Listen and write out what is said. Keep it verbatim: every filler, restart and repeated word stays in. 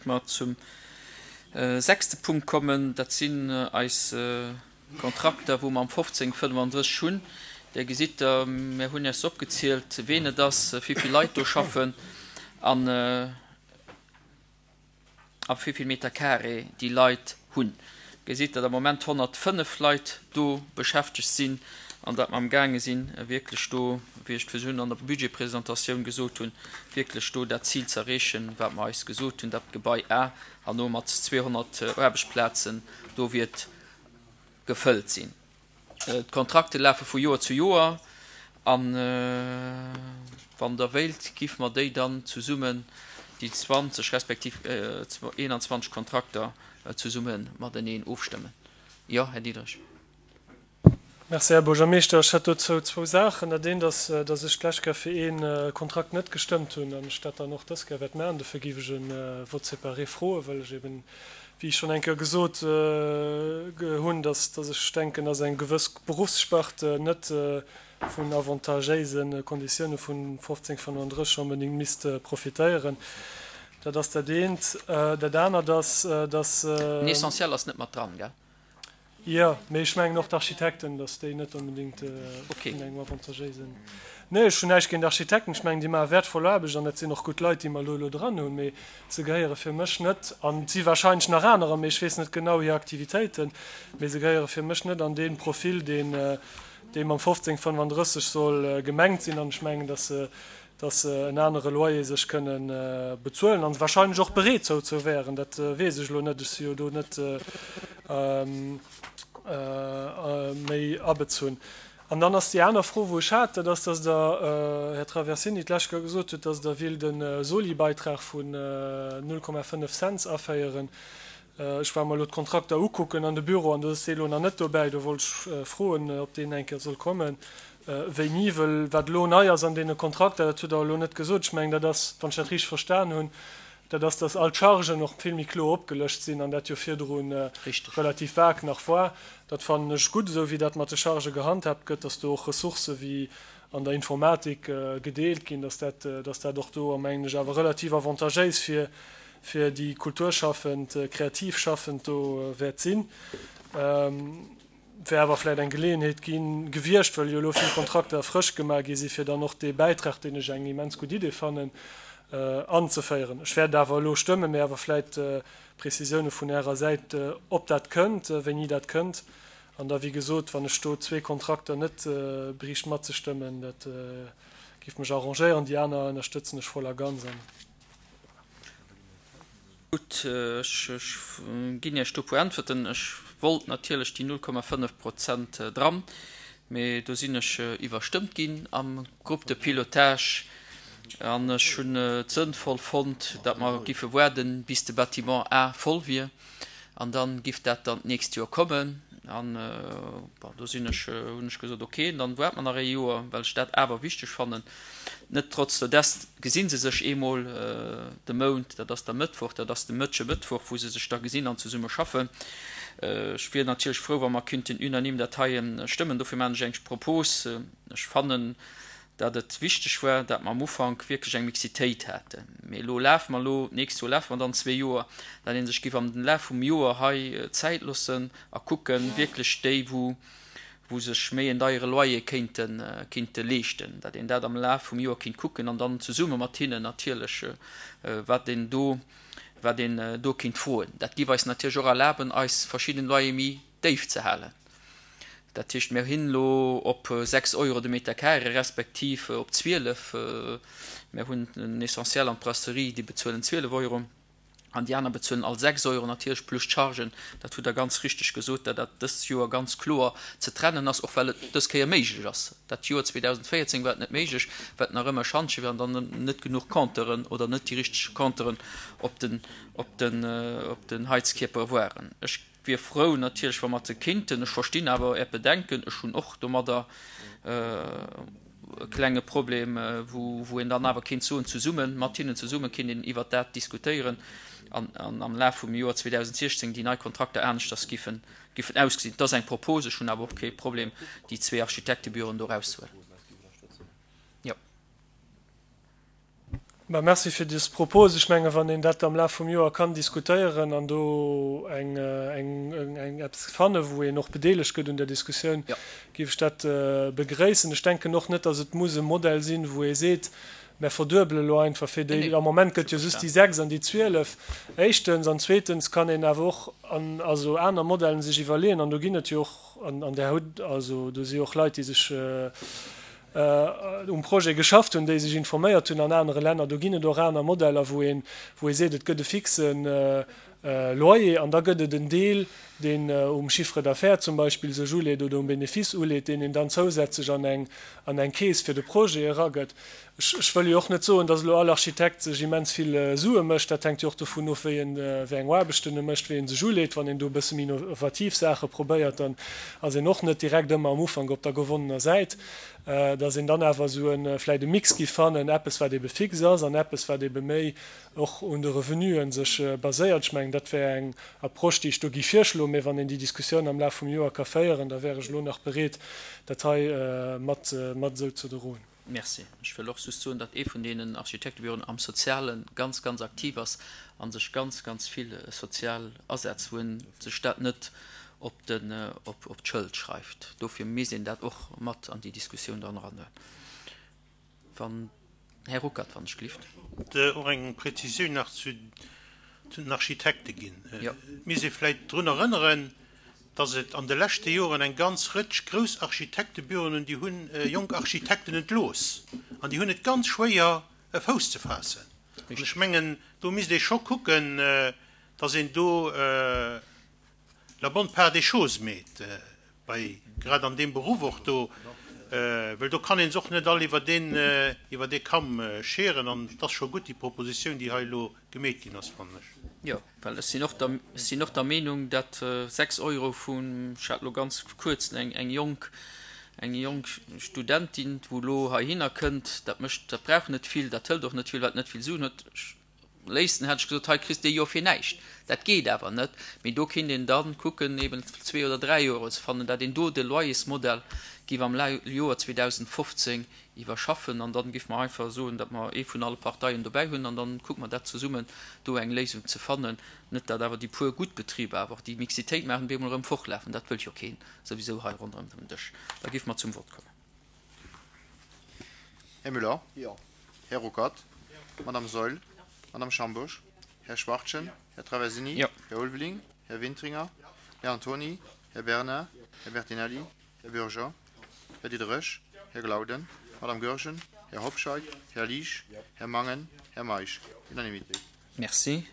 Mer zum sechste Punkt kommen, dat sinn eis Kontrakter, wou mer am fofzéng fënnefandrësseg hunn. Där gesitt Der, mir hunn Iech se opgezielt, ween et ass, wéi vill Leit do schaffen an a wéi vill Meter carré déi Leit hunn. Gesitt, datt am Moment honnertfënnef Leit do beschäftegt sinn an datt mer amgaange sinn, wierklech do, wéi ech et virdrun an der Budgetpresentatioun gesot hunn, wierklech do dat Zil ze erreechen, wat mer eis gesot hunn, datt d'Gebai A herno mat zweehonnert Aarbechtsplazen do wiert gefëllt sinn. D'Kontrakte lafe vu Joer zu Joer an wann Der wéilt, giffe mer déi dann zesummen, déi zwanzeg respektiv eenanzwanzeg Kontrakter zesumme mateneen ofstëmmen. Jo, Här Diderich. Merci, Här Buergermeeschter. Ech hätt dozou zwou Saachen. Dat eent ass, dass ech d'lescht Kéier fir ee Kontrakt net gestëmmt hunn an ech dat dann och dës Kéier wäert maachen. Dofir géif ech e Vote séparé froen, well ech eben, wéi ech schonn eng Kéier gesot hunn, dass ech denken, dass eng gewëss Beruffssparte net vun avantagéise Konditioune vun fofzéng fënnefandrësseg onbedéngt misst profitéieren. Dat ass dat eent. Dat anert ass, dass. Den Essentiel ass net mat dran, gell? Jo, mee ech mengen och d'Architekten, dass déi net onbedéngt vun engem avantagéisen. Nee, ech hunn näischt géint Architekten. Ech mengen, déi maache wäertvoll Aarbecht an dat sinn och gutt Leit, déi mer elo elo dran hunn. Mee se gehéiere fir mech net, an et si wahrscheinlech nach anerer, mee ech weess net genau hir Aktivitéiten, mee se gehéiere fir mech net an dee Profil, deen, dee mam fofzéng fënnefandrësseg soll gemengt sinn. An ech mengen, dass se, dass se en anere Loyer sech kënnen bezuelen an wahrscheinlech och bereet dozou wäeren. Dat weess ech elo net, ech si jo do net méi abezunn. An dann ass déi aner Fro, wou ech hat, dat ass, dass Der, Här Traversini, d'lescht Kéier gesot hutt, dass Der willt e Soli-Beitrag vun null Komma fënnef Cents aféieren. Ech war mer elo d'Kontrakter ukucken an de Büro an do ass dee elo nach net dobäi. Do wollt ech froen, ob deen eng Kéier soll kommen. Wéini, wëll wat elo nei ass an deene Kontrakter, dat hutt Der elo net gesot, ech mengen, dat ass, wann ech dat richteg verstan hunn, dat ass, dass all d'Chargen och vill méi kloer opgelëscht sinn an dat jo virdru relativ vag nach war. Dat fannen ech gutt, esou wéi dat mat de Chargë gehandhaabt gëtt, dass do och Ressourcë wéi an der Informatik gedeelt ginn, dass dat, dass dat och do, mengen ech, awer relativ avantagéis fir, fir déi Kulturschaffend, Kreativschaffend do wäert sinn. Wär awer vläicht eng Geleeënheet gi gewiescht, well jo elo vill Kontrakter frësch gemaach gi sinn, fir dann och dee Bäitrag, deen ech eng immens gutt Idee fannen, anzeféieren. Ech wäert awer elo stëmmen, mee awer vläicht Prezisioune vun Ärer Säit, ob dat kënnt, wéini dat kënnt. An da, wéi gesot, wann ech do zwee Kontrakter net bräicht matzestëmmen, dat géif mech arrangéieren. Déi aner ënnerstëtzen ech voll a ganz. Gutt, ech ginn Iech do e puer Äntwerten. Ech wollt natierlech déi null Komma fënnef Prozent dran, mee do sinn ech iwwerstëmmt ginn am Groupe de pilotage an ech hunn et sënnvoll fonnt, datt mer giffe waarden, bis de Bâtiment A voll wier an da giff dat dann d'nächst Joer kommen. An bon, do sinn ech, hunn ech gesot, ok, dann waart mer nach ee Joer, well ech dat awer wichteg fannen. Net trotz der dest gesi se sech eemol de Mount, dat ass da Mëttwoch, dat ass de Mëttche Mëttwoch, wou se sech da gesinn an zesumme schaffen. Ech wier natierlech frou, wa mer kinnten unanime dat hei stëmmen. Dofir maachen ech eng Propos. Ech fannen, dat et wichteg war, dat mer am Ufank wierklech eng Mixitéit haten. Mee elo lafe mer elo, d'nächst Joer lafe mer dann zwee Joer, dat ee sech giff am Laf vum Joer hei Zäit loossen a kucken, wierklech déi, wou wou sech méi en deiere Loyer kéinte kéinte leeschten, dat een dat am Laf vum Joer kéint kucken an dann zesumme mat hinnen natierlech, wat een do wat een do kéint froen. Dat giff eis natierlech och erlaben, eis verschidden Loyer méi déif ze halen. Dat heescht, mir hinn elo op sechs Euro de Meter carré, respektiv op zwielef. Mir hunn den Essentiel an d'Brasserie, déi bezuelen zwielef Euro an déi aner bezuelen all sechs Euro, natierlech plus d'Chargen. Dat hutt Der ganz richteg gesot, datt dat dëst Joer ganz kloer ze trennen ass, och well et dës Kéier méiglech ass. Dat Joer zweedausendvéierzéng war et net méiglech, well et nach ëmmer e Schantje war an dann net genuch Compteuren oder net déi richteg Compteuren op den, op den, op den Heizkierpere waren. Ech wier frou natierlech, wa mer se kinnten. Ech verstinn awer Äert Bedenken. Ech hunn och domadder e klenge Problem, wou een dann awer kéint soen, zesumme mat hinnen zesumme kéint een iwwert dat diskutéieren an am Laf vum Joer zweedausendsechzéng déi nei Kontrakter aneschters giffen ausgesinn. Dat ass eng Propos. Ech hunn awer och kee Problem, déi zwee Architektebüroen do erauszehuelen. Jo. Bah, merci fir dës Propos. Ech mengen, wann een dat am Laf vum Joer kann diskutéieren an do eng, eng, eng eppes fannen, wou een och bedeelegt gëtt un der Diskussioun, Ja. géif ech dat begréissen. Ech denken och net, dass et muss e Modell sinn, wou ee seet, Mer verduebele lo einfach fir Nee, déi, nee, am Moment gëtt jo scho just déi verstan. sechs an déi zwielef, éischtens. An zweetens kann een awer och an, also aner Modellen sech iwwerleeën, an do ginn et jo och, an, an där hutt, also do si jo och Leit, déi sech um Projet geschafft hunn, déi sech informéiert hunn an anere Länner, do ginn et och aner Modeller, wou een, wou ee seet, et gëtt e fixe Loyer an da gëtt et en Deel, deen um Chiffre d'affaires zum Beispill sech uleet oder um Bénéfice uleet, deen een dann zousätzlech an eng, an eng Keess fir de Projet eragëtt. Ech, ech wëll jo och net soen, datt elo all Architekt sech immens vill Sue mécht. Dat hänkt jo och dovun of, wéi en, wéi eng Aarbechten e mécht, wéi en sech uleet. Wann een do e bësse méi innovativ Saache probéiert, dann ass een och net direkt ëmmer am Ufank op der gewonnener Säit. Datt een dann awer esou e vläicht e Mix giff fannen, eppes wat ebe fix ass an eppes wat ebe méi och un de Revenuen sech baséiert. Ech mengen, dat wär eng Approche, déi ech do giff virschloen. Mee wann een déi Diskussioun am Laf vum Joer ka féieren, da wär ech elo nach bereet, dat hei mat mat esou ze droen. Merci. Ech wëll och just soen, datt ee vun deenen Architektebüroen am Soziale ganz, ganz aktiv ass a sech ganz, ganz vill sozial asetzt, wou en sech dat net op den, op, op d'Schëld schreift. Dofir misst een dat och mat an déi Diskussioun dann eranhuelen. Wann, Här Ruckert, wann ech gelift. Wollt och eng Präzisioun nach zu, zu den Architekte ginn. Jo. Et misst ee vläicht drun erënneren, datt et an de leschte Joren eng ganz Rëtsch grouss Architektebüroen hunn, déi hunn jonk Architekten entlooss an déi hunn et ganz schwéier, e Fouss ze faassen. An ech Richtig. mengen, do misst ee scho kucken, datt een do la bonne part des choses meet, bei, grad an deem Beruff och do, well do kann een se och net all iwwer deen, iwwer dee Kamm scheren. An et ass scho gutt, déi Propositioun, déi hei elo gemeet ginn ass, fannen ech. Jo, well ech sinn och der, ech sinn och der Meenung, datt sechs Euro vun, ech hat elo ganz kuerz eng, eng jonk, eng jonk Studentin, wou elo heihinner kënnt, dat mécht, dat brauch net vill, dat hëlt och net vill, wat net vill Suen huet. Ech, léifsten hätt ech gesot, hei kriss de e Joer fir näischt. Dat geet awer net. Mee do kinnt een dann kucken, eben zwee oder dräi Euro ze fannen, dat een do de Loyersmodell giff am Joer zweedausendfofzéng iwwerschaffen. An dann giff mer einfach soen, datt mer ee vun alle Parteien dobäi hunn an dann kucke mer dat zesummen, do eng Léisung ze fannen. Net datt awer déi puer gutt Betriber awer och déi Mixitéit maachen, op eemol erëm fortlafen. Dat wëllt jo keen souwisou hei ronderëm den Dësch. Da giff mer zum Vott kommen. Här Müller? Jo. Här Ruckert? Jo. Madame Saeul? Jo. Madame Schambusch? Här Schwachtgen? Här Traversini? Jo. Här Ulveling? Här Wintringer? Här Antoni? Här Bernard? Här Bertinelli? Här Bürger? Här Diderich? Här Glauden? Madame Goergen? Här Hobscheit? Här Liesch? Här Mangen? Här Meisch? Unanimité. Merci.